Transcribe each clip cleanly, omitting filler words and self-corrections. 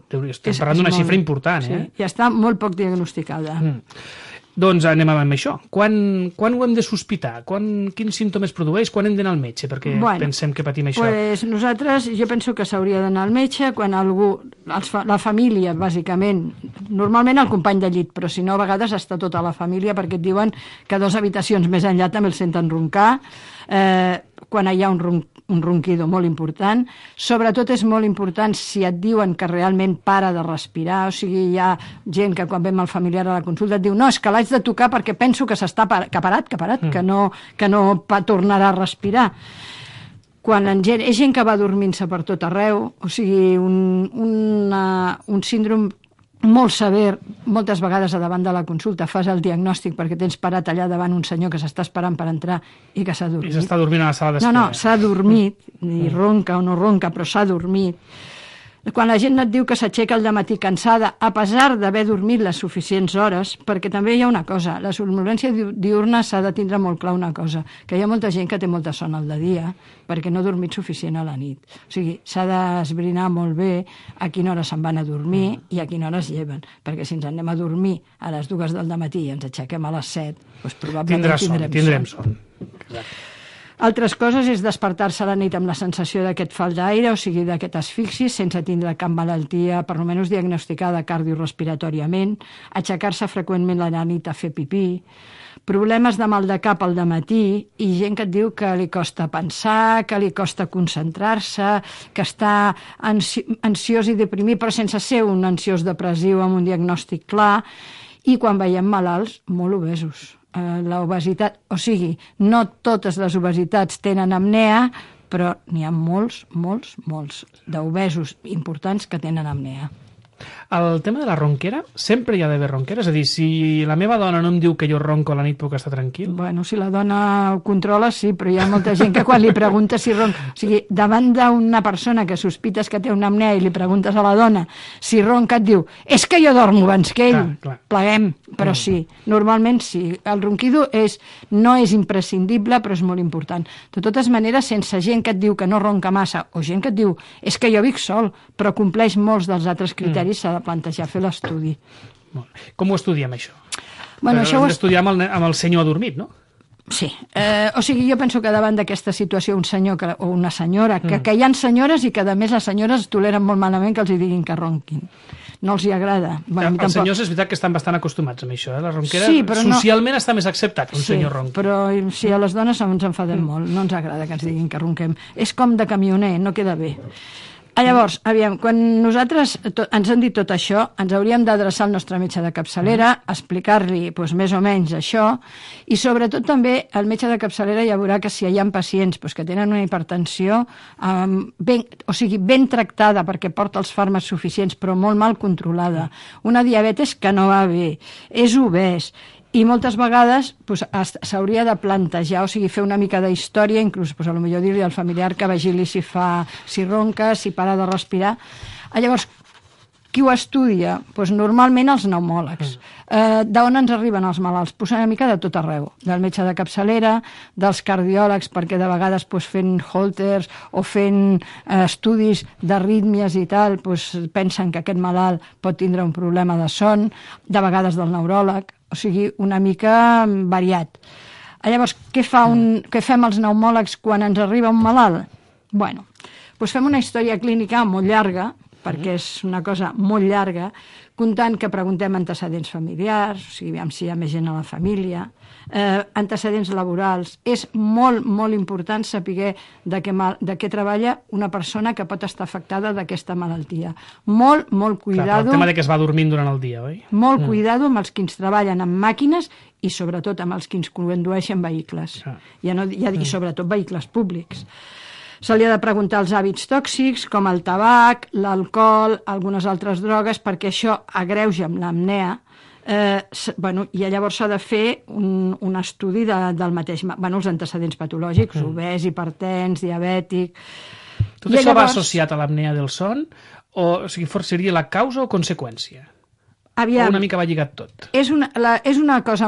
Estem parlant d'una xifra important, sí, i està molt poc diagnosticada. Doncs anem amb això. Quan ho hem de sospitar? Quins símptomes produeix? Quan hem d'anar al metge? Perquè pensem que patim això. Pues nosaltres, jo penso que s'hauria d'anar al metge quan algú, la família, bàsicament, normalment el company de llit, però si no, a vegades està tota la família, perquè et diuen que 2 habitacions més enllà també el senten roncar, quan hi ha un ronquido molt important. Sobretot és molt important si et diuen que realment para de respirar, o sigui, hi ha gent que quan vem el familiar a la consulta et diu no, és que l'haig de tocar perquè penso que s'està parat, que no tornarà a respirar. Quan és gent que va dormint-se per tot arreu, o sigui, un síndrome molt sever, moltes vegades a davant de la consulta fas el diagnòstic perquè tens parat allà davant un senyor que s'està esperant per entrar i que s'ha dormit. I s'està dormint a la sala d'espera. No, s'ha dormit, ni ronca o no ronca, però s'ha dormit. Quan la gent et diu que s'aixeca al dematí cansada, a pesar d'haver dormit les suficients hores, perquè també hi ha una cosa, la somnolència diurna s'ha de tindre molt clar una cosa, que hi ha molta gent que té molta son al de dia perquè no ha dormit suficient a la nit. O sigui, s'ha d'esbrinar molt bé a quina hora se'n van a dormir i a quina hora es lleven, perquè si ens anem a dormir a les 2 del dematí i ens aixequem a les 7, doncs probablement tindrem son. Exacte. Altres coses és despertar-se a la nit amb la sensació d'aquest falt d'aire, o sigui, d'aquest asfixi, sense tindre cap malaltia, per almenys diagnosticada cardiorrespiratòriament, aixecar-se freqüentment a la nit a fer pipí, problemes de mal de cap al dematí i gent que et diu que li costa pensar, que li costa concentrar-se, que està ansiós i deprimit, però sense ser un ansiós depressiu amb un diagnòstic clar, i quan veiem malalts molt obesos. L'obesitat, o sigui, no totes les obesitats tenen apnea, però n'hi ha molts d'obesos importants que tenen apnea. El tema de la ronquera, sempre hi ha d'haver ronquera? És a dir, si la meva dona no em diu que jo ronco a la nit puc estar tranquil? Bueno, si la dona ho controla, sí, però hi ha molta gent que quan li pregunta si ronca... O sigui, davant d'una persona que sospites que té una apnea i li preguntes a la dona si ronca, et diu, és que jo dormo abans que ell. Clar. Pleguem, però sí, normalment sí. El ronquido no és imprescindible, però és molt important. De totes maneres, sense gent que et diu que no ronca massa, o gent que et diu, és que jo vic sol, però compleix molts dels altres criteris, s'ha de plantejar fer l'estudi. Com ho estudiem, això? Bueno, això ho hem d'estudiar amb el senyor adormit, no? Sí. O sigui, jo penso que davant d'aquesta situació un senyor o una senyora, que hi ha senyores i que, a més, les senyores toleren molt malament que els hi diguin que ronquin. No els hi agrada. Bueno, els senyors és veritat que estan bastant acostumats amb això, La ronquera socialment està més acceptat que un senyor ronqui. Però sí, a les dones ens enfadem molt, no ens agrada que ens diguin que ronquem. És com de camioner, no queda bé. Llavors, aviam, quan nosaltres ens han dit tot això, ens hauríem d'adreçar al nostre metge de capçalera, explicar-li més o menys això, i sobretot també el metge de capçalera ja veurà que si hi ha pacients que tenen una hipertensió ben tractada perquè porta els fàrmacs suficients però molt mal controlada, una diabetes que no va bé, és obès, i moltes vegades s'hauria de plantejar, o sigui, fer una mica d'història, inclús potser dir-li al familiar que vigili si ronca, si para de respirar. Llavors, qui ho estudia? Normalment els pneumòlegs. D'on ens arriben els malalts? Una mica de tot arreu, del metge de capçalera, dels cardiòlegs, perquè de vegades fent Holters o fent estudis d'arrítmies i tal, pensen que aquest malalt pot tindre un problema de son, de vegades del neuròleg, o sigui, una mica variat. Llavors, què fem els pneumòlegs quan ens arriba un malalt? Bueno, fem una història clínica molt llarga, perquè és una cosa molt llarga, comptant que preguntem antecedents familiars, o sigui, si hi ha més gent a la família, antecedents laborals. És molt, molt important saber de què treballa una persona que pot estar afectada d'aquesta malaltia. Molt, molt cuidado... Clar, el tema de que es va dormint durant el dia, oi? Molt cuidado amb els que ens treballen amb màquines i sobretot amb els que ens condueixen vehicles. I sobretot vehicles públics. Se li ha de preguntar els hàbits tòxics, com el tabac, l'alcohol, algunes altres drogues, perquè això agreuja amb l'apnea. I llavors s'ha de fer un estudi del mateix, els antecedents patològics, obès, hipertens, diabètic... Tot això va associat a l'apnea del son? O sigui, seria la causa o conseqüència? O una mica va lligat tot? És una cosa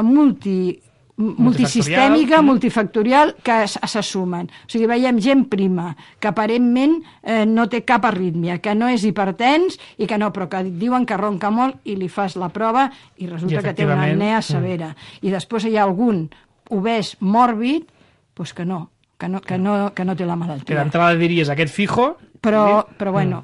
multisistèmica, multifactorial, que se sumen. O sigui, veiem gent prima, que aparentment no té cap arrítmia, que no és hipertens i que no, però que diuen que ronca molt i li fas la prova i resulta que té una apnea severa. I després hi ha algun obès mòrbid doncs que no té la malaltia. Que d'entrada diries aquest fijo... Però bueno,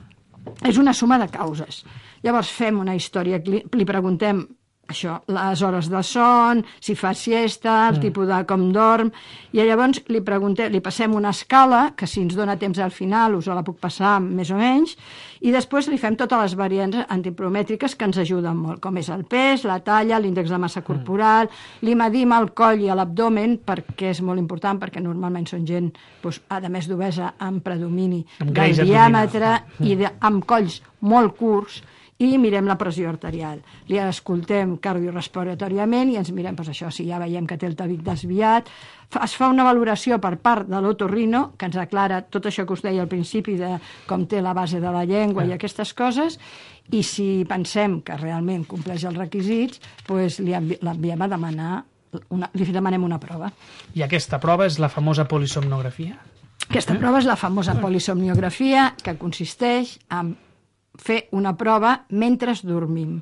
és una suma de causes. Llavors fem una història, li preguntem això, les hores de son, si fa siesta, el tipus de com dorm, i llavors li preguntem, li passem una escala, que si ens dona temps al final us la puc passar més o menys, i després li fem totes les variants antipromètriques que ens ajuden molt, com és el pes, la talla, l'índex de massa corporal, li medim el coll i l'abdomen, perquè és molt important, perquè normalment són gent, doncs, a més d'obesa, amb predomini del diàmetre i amb colls molt curts, i mirem la pressió arterial. Li escoltem cardiorespiratoriament i ens mirem, doncs això, si ja veiem que té el tabic desviat. Es fa una valoració per part de l'otorrino, que ens aclara tot això que us deia al principi, de com té la base de la llengua i aquestes coses, i si pensem que realment compleix els requisits, doncs l'enviem a demanar, li demanem una prova. I aquesta prova és la famosa polisomnografia? Aquesta prova és la famosa polisomnografia, que consisteix en fer una prova mentre dormim.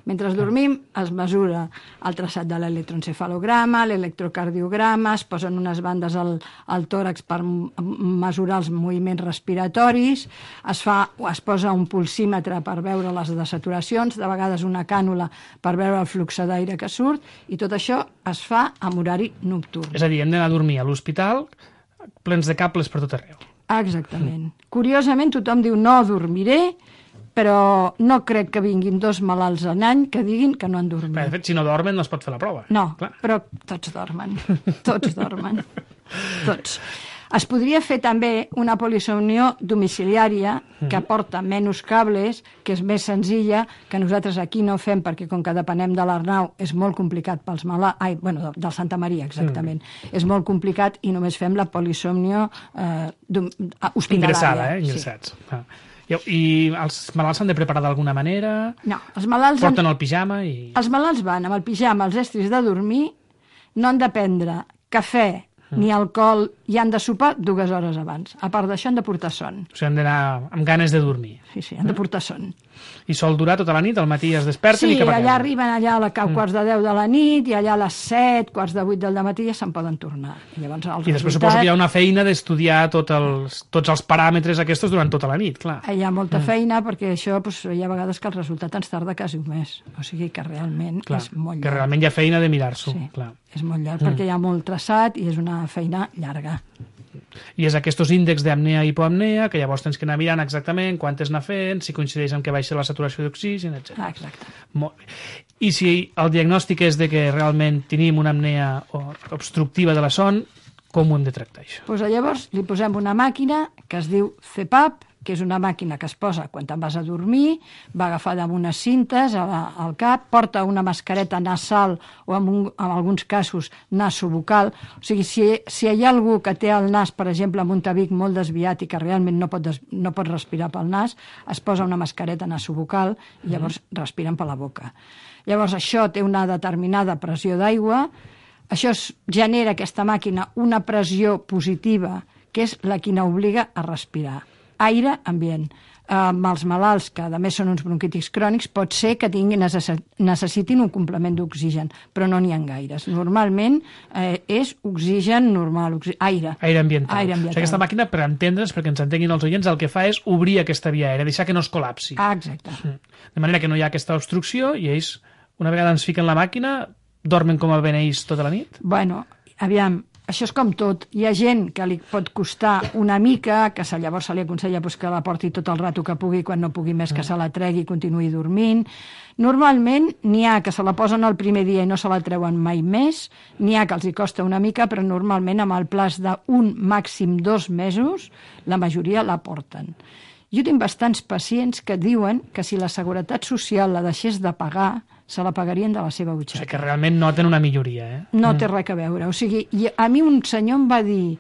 Mentre dormim es mesura el traçat de l'electroencefalograma, l'electrocardiograma, es posen unes bandes al tòrax per mesurar els moviments respiratoris, es posa un pulsímetre per veure les desaturacions, de vegades una cànula per veure el flux d'aire que surt, i tot això es fa en horari nocturn. És a dir, hem d'anar a dormir a l'hospital plens de cables per tot arreu. Exactament. Curiosament, tothom diu no dormiré, però no crec que vinguin 2 malalts en any que diguin que no han dormit. De fet, si no dormen no es pot fer la prova. No, però tots dormen. Tots dormen. Tots. Es podria fer també una polisomnió domiciliària que porta menys cables, que és més senzilla, que nosaltres aquí no fem perquè com que depenem de l'Arnau és molt complicat pels malalts... del Santa Maria, exactament. És molt complicat i només fem la polisomnió hospitalària. Ingressats. I els malalts s'han de preparar d'alguna manera? No, els malalts... Porten el pijama i... Els malalts van amb el pijama, els estris de dormir, no han de prendre cafè ni alcohol, i han de sopar 2 hores abans. A part d'això han de portar son. O sigui, han d'anar amb ganes de dormir. Sí, han de portar son. I sol durar tota la nit? Al matí es desperten i cap a casa? Sí, allà arriben allà a quarts de 10 de la nit i allà a les 7, quarts de 8 del matí ja se'n poden tornar. I després suposo que hi ha una feina d'estudiar tots els paràmetres aquests durant tota la nit, clar. Hi ha molta feina perquè això hi ha vegades que el resultat ens tarda quasi un mes. O sigui que realment és molt llarg. Que realment hi ha feina de mirar-s'ho. Sí, és molt llarg perquè hi ha molt traçat i és una feina llarga. I és aquests índexs d'apnea i hipoapnea que llavors tens que anar mirant exactament quantes anar fent, si coincideix amb que baixa la saturació d'oxigen, etc. Exacte. Molt bé. I si el diagnòstic és de que realment tenim una apnea obstructiva de la son, com ho hem de tractar, això? Doncs llavors li posem una màquina que es diu CPAP, que és una màquina que es posa quan te'n vas a dormir, va agafada amb unes cintes al cap, porta una mascareta nasal o en alguns casos nasobucal. O sigui, si hi ha algú que té el nas, per exemple, amb un tabic molt desviat i que realment no pot respirar pel nas, es posa una mascareta nasobucal i llavors respiren per la boca. Llavors això té una determinada pressió d'aigua, això genera aquesta màquina una pressió positiva, que és la que n'obliga a respirar. Aire ambient. Amb els malalts, que a més són uns bronquítics crònics, pot ser que necessitin un complement d'oxigen, però no n'hi ha gaires. Normalment és oxigen normal, aire. Aire ambiental. O sigui, aquesta màquina, per entendre's, perquè ens entenguin els oients, el que fa és obrir aquesta via aèria, deixar que no es col·lapsi. Exacte. De manera que no hi ha aquesta obstrucció i ells, una vegada ens fiquen la màquina, dormen com a beneïts tota la nit? Bueno, aviam, això és com tot. Hi ha gent que li pot costar una mica, que llavors se li aconsella que la porti tot el rato que pugui, quan no pugui més que se la tregui i continuï dormint. Normalment n'hi ha que se la posen el primer dia i no se la treuen mai més, n'hi ha que els hi costa una mica, però normalment amb el plaç d'un màxim 2 mesos la majoria la porten. Jo tinc bastants pacients que diuen que si la Seguretat Social la deixés de pagar, se la pagarien de la seva butxaca. O sigui que realment noten una milloria, eh? No té res a veure. O sigui, a mi un senyor em va dir,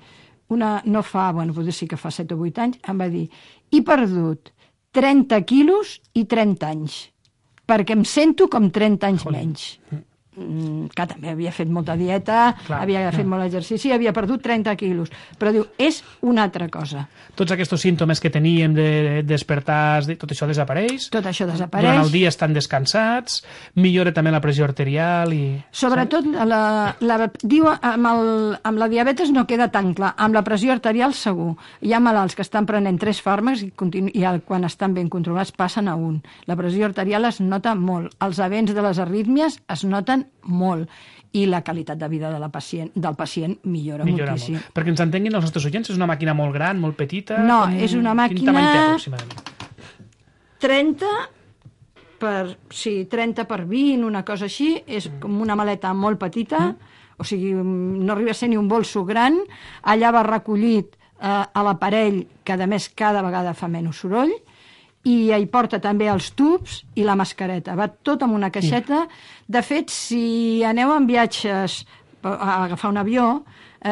potser sí que fa 7 o 8 anys, em va dir, he perdut 30 quilos i 30 anys, perquè em sento com 30 anys menys. que també havia fet molta dieta, havia fet molt exercici, havia perdut 30 quilos, però diu, és una altra cosa. Tots aquests símptomes que teníem de despertar, tot això desapareix? Tot això desapareix. Durant el dia estan descansats, millora també la pressió arterial i... Sobretot, diu, amb la diabetes no queda tan clar, amb la pressió arterial segur. Hi ha malalts que estan prenent 3 fàrmacs i quan estan ben controlats passen a un. La pressió arterial es nota molt. Els avenç de les arrítmies es noten molt. I la qualitat de vida del pacient millora moltíssim. Molt. Perquè ens entenguin els nostres oients, és una màquina molt gran, molt petita? No, és una màquina... Quin tamany té, aproximadament? 30 per 20, una cosa així. És com una maleta molt petita, o sigui, no arriba a ser ni un bolso gran. Allà va recollit a l'aparell, que a més cada vegada fa menys soroll, i hi porta també els tubs i la mascareta. Va tot amb una caixeta. De fet, si aneu en viatges a agafar un avió,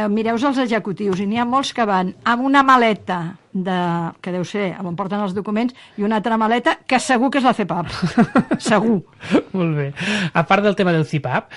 mireu els executius, i n'hi ha molts que van amb una maleta, que deu ser on porten els documents, i una altra maleta que segur que és la CPAP. Segur. Molt bé. A part del tema del CPAP,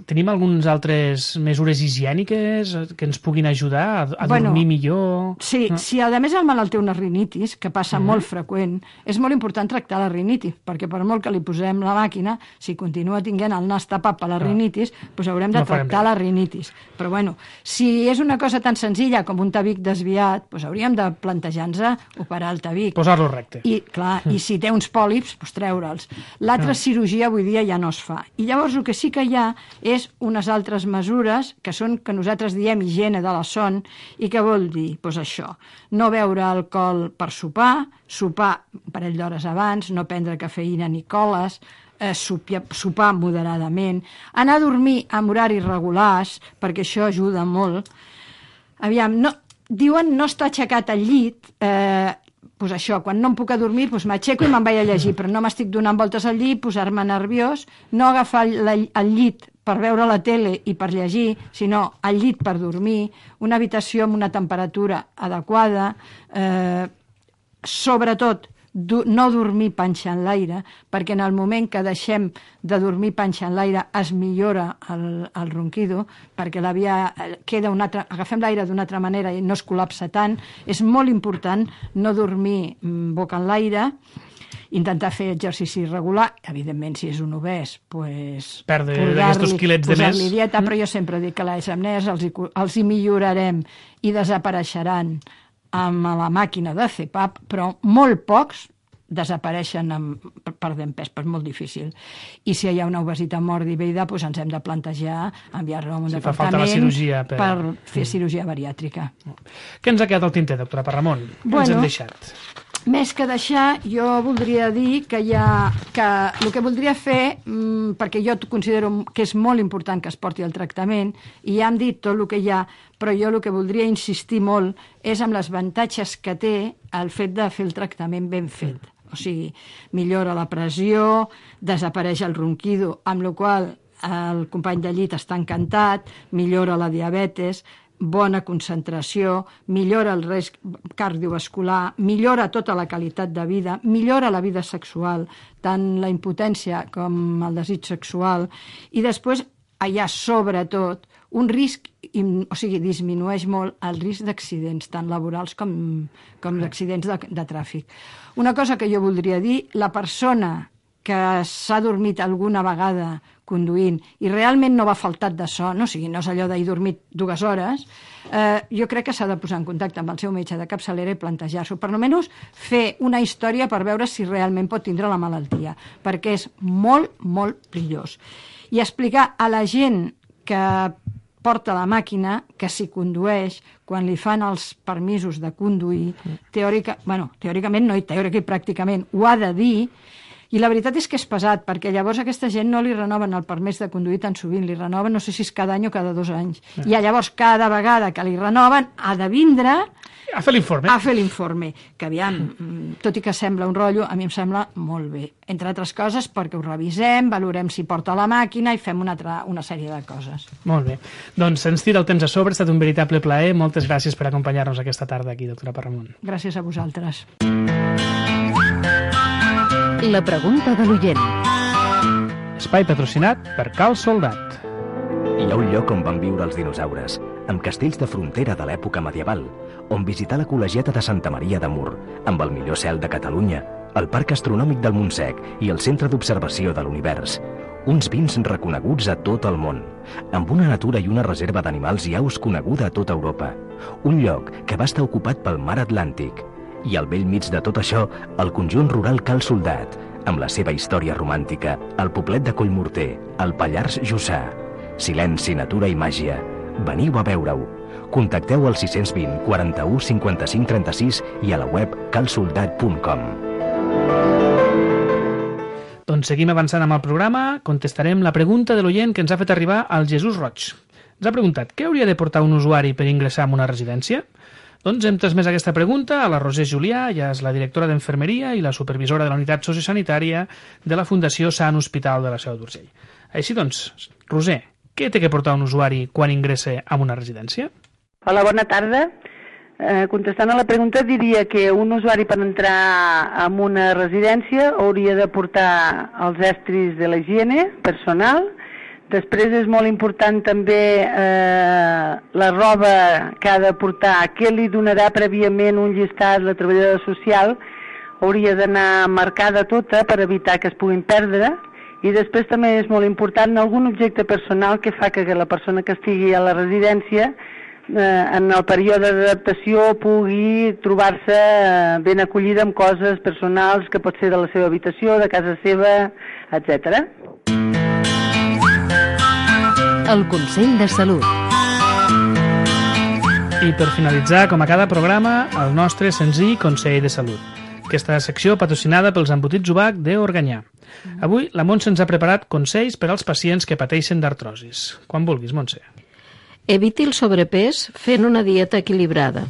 tenim algunes altres mesures higièniques que ens puguin ajudar a dormir millor? Sí, si a més el malalt té una rinitis, que passa molt freqüent, és molt important tractar la rinitis, perquè per molt que li posem la màquina, si continua tinguent el nas tapat per la rinitis, doncs haurem de tractar la rinitis. Però bueno, si és una cosa tan senzilla com un tabic desviat, doncs hauríem de plantejar-nos operar el tabic. Posar-lo recte. I si té uns pòlips, doncs treure'ls. L'altra cirurgia avui dia ja no es fa. I llavors el que sí que hi ha és unes altres mesures que són, que nosaltres diem higiene de la son, i què vol dir? Doncs això, no beure alcohol per sopar un parell d'hores abans, no prendre cafeïna ni coles, sopar moderadament, anar a dormir amb horaris regulars, perquè això ajuda molt. Aviam, diuen no està aixecat al llit, doncs això, quan no em puc adormir, doncs m'aixeco i me'n vaig a llegir, però no m'estic donant voltes al llit, posar-me nerviós, no agafar el llit per veure la tele i per llegir, sinó al llit per dormir, una habitació amb una temperatura adequada, sobretot no dormir panxa en l'aire, perquè en el moment que deixem de dormir panxa en l'aire es millora el ronquido, perquè la via queda agafem l'aire d'una altra manera i no es col·lapsa tant. És molt important no dormir boca en l'aire, intentar fer exercici regular, evidentment si és un obès, perdre aquests quilets de més. Posar-li dieta, però jo sempre dic que les apnees els hi millorarem i desapareixeran amb la màquina de CPAP, però molt pocs desapareixen perdent pes, però és molt difícil. I si hi ha una obesitat mòrbida, doncs ens hem de plantejar enviar-lo a un departament per fer cirurgia bariàtrica. Què ens ha quedat al tinter, doctora Parramon? Què ens hem deixat? Més que deixar, jo voldria dir que el que voldria fer, perquè jo considero que és molt important que es porti el tractament, i ja hem dit tot el que hi ha, però jo el que voldria insistir molt és en els avantatges que té el fet de fer el tractament ben fet. O sigui, millora la pressió, desapareix el ronquido, amb la qual el company de llit està encantat, millora la diabetes, bona concentració, millora el risc cardiovascular, millora tota la qualitat de vida, millora la vida sexual, tant la impotència com el desig sexual, i després hi ha sobretot un risc, o sigui, disminueix molt el risc d'accidents, tant laborals com d'accidents de tràfic. Una cosa que jo voldria dir, la persona que s'ha dormit alguna vegada conduint i realment no va faltat de son, o sigui, no és allò d'haver dormit 2 hores, jo crec que s'ha de posar en contacte amb el seu metge de capçalera i plantejar-s'ho, per almenys fer una història per veure si realment pot tindre la malaltia, perquè és molt, molt perillós. I explicar a la gent que porta la màquina, que si condueix, quan li fan els permisos de conduir, teòricament no, teòricament i pràcticament ho ha de dir. I la veritat és que és pesat, perquè llavors a aquesta gent no li renoven el permís de conduir tan sovint, li renoven no sé si és cada any o cada 2 anys. I llavors cada vegada que li renoven ha de vindre a fer l'informe. A fer l'informe, que aviam, tot i que sembla un rotllo, a mi em sembla molt bé. Entre altres coses perquè ho revisem, valorem si porta la màquina i fem una sèrie de coses. Molt bé. Doncs se'ns tira el temps a sobre, ha estat un veritable plaer. Moltes gràcies per acompanyar-nos aquesta tarda aquí, doctora Parramon. Gràcies a vosaltres. La pregunta de l'oient. Espai patrocinat per Cal Soldat. Hi ha un lloc on van viure els dinosaures, amb castells de frontera de l'època medieval, on visitar la col·legiata de Santa Maria de Mur, amb el millor cel de Catalunya, el Parc Astronòmic del Montsec i el Centre d'Observació de l'Univers. Uns vins reconeguts a tot el món, amb una natura i una reserva d'animals i aus coneguda a tota Europa. Un lloc que va estar ocupat pel mar Atlàntic. I al vell mig de tot això, el conjunt rural Cal Soldat, amb la seva història romàntica, el poblet de Collmorter, el Pallars Jussà. Silenci, natura i màgia. Veniu a veure-ho. Contacteu al 620 41 55 36 i a la web calsoldat.com. Doncs seguim avançant amb el programa. Contestarem la pregunta de l'oient que ens ha fet arribar al Jesús Roig. Ens ha preguntat què hauria de portar un usuari per ingressar en una residència? Doncs hem transmès aquesta pregunta a la Roser Julià, ja és la directora d'Enfermeria i la supervisora de la unitat sociosanitària de la Fundació Sant Hospital de la Seu d'Urgell. Així doncs, Roser, què té que portar un usuari quan ingressa en una residència? Hola, bona tarda. Contestant a la pregunta, diria que un usuari per entrar en una residència hauria de portar els estris de la higiene personal. Després és molt important també la roba que ha de portar, que li donarà prèviament un llistat la treballadora social, hauria d'anar marcada tota per evitar que es puguin perdre. I després també és molt important algun objecte personal que fa que la persona que estigui a la residència en el període d'adaptació pugui trobar-se ben acollida amb coses personals que pot ser de la seva habitació, de casa seva, etc. El Consell de Salut. I per finalitzar, com a cada programa, el nostre senzill Consell de Salut. Aquesta secció patrocinada pels embotits Ubac d'Organyà. Avui la Montse ens ha preparat consells per als pacients que pateixen d'artrosis. Quan vulguis, Montse. Eviti el sobrepès fent una dieta equilibrada.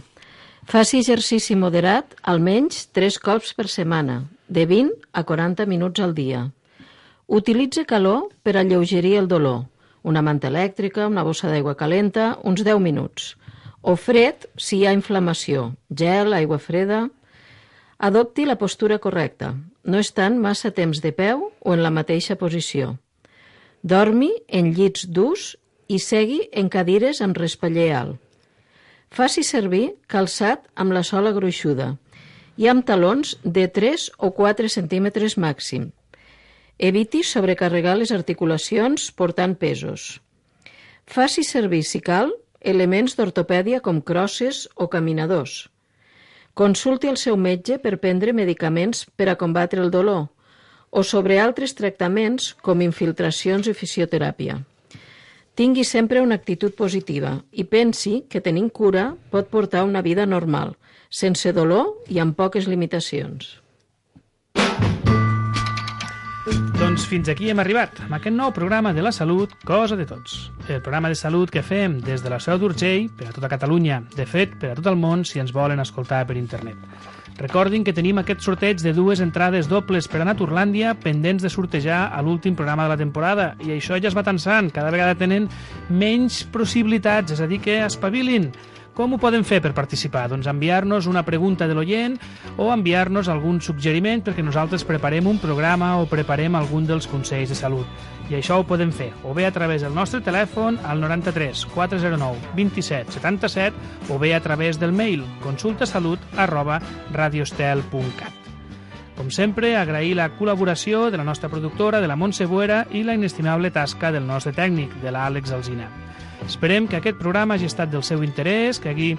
Faci exercici moderat almenys 3 cops per setmana, de 20 a 40 minuts al dia. Utilitze calor per alleugerir el dolor. Una manta elèctrica, una bossa d'aigua calenta, uns 10 minuts. O fred si hi ha inflamació, gel, aigua freda. Adopti la postura correcta, no estant massa temps de peu o en la mateixa posició. Dormi en llits durs i segui en cadires amb respaller alt. Faci servir calçat amb la sola gruixuda i amb talons de 3 o 4 centímetres màxim. Eviti sobrecarregar les articulacions portant pesos. Faci servir, si cal, elements d'ortopèdia com crosses o caminadors. Consulti el seu metge per prendre medicaments per a combatre el dolor o sobre altres tractaments com infiltracions i fisioteràpia. Tingui sempre una actitud positiva i pensi que tenint cura pot portar una vida normal, sense dolor i amb poques limitacions. Doncs fins aquí hem arribat, amb aquest nou programa de la salut, Cosa de Tots. El programa de salut que fem des de la Seu d'Urgell per a tota Catalunya, de fet, per a tot el món si ens volen escoltar per internet. Recordin que tenim aquest sorteig de 2 entrades dobles per a Naturlàndia pendents de sortejar a l'últim programa de la temporada i això ja es va tensant, cada vegada tenen menys possibilitats, és a dir que espavilin. Com ho poden fer per participar? Doncs enviar-nos una pregunta de l'oient o enviar-nos algun suggeriment perquè nosaltres preparem un programa o preparem algun dels consells de salut. I això ho podem fer o bé a través del nostre telèfon al 93 409 27 77 o bé a través del mail consultasalut@radiostel.cat. Com sempre, agrair la col·laboració de la nostra productora, de la Montse Buera, i la inestimable tasca del nostre tècnic, de l'Àlex Alsina. Esperem que aquest programa hagi estat del seu interès, que hagi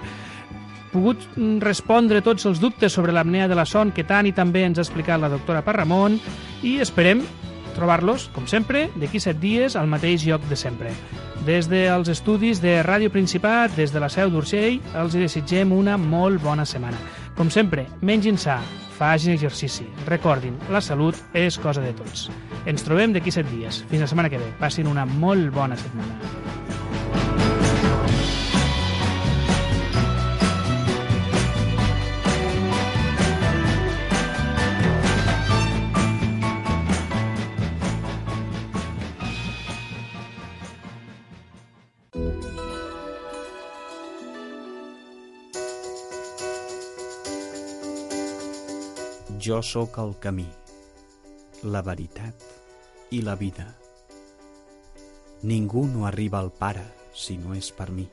pogut respondre tots els dubtes sobre l'apnea de la son que tant i tan bé ens ha explicat la doctora Parramon, i esperem trobar-los, com sempre, d'aquí 7 dies al mateix lloc de sempre. Des dels estudis de Ràdio Principat, des de la Seu d'Urgell, els desitgem una molt bona setmana. Com sempre, mengin sa, facin exercici. Recordin, la salut és cosa de tots. Ens trobem d'aquí 7 dies. Fins la setmana que ve. Passin una molt bona setmana. Jo sóc el camí, la veritat i la vida. Ningú no arriba al Pare si no és per mi.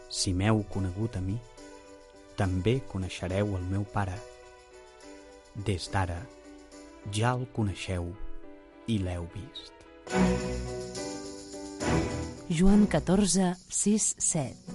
Si m'heu conegut a mi, també coneixereu el meu Pare. Des d'ara ja el coneixeu i l'heu vist. Joan 14, 6, 7.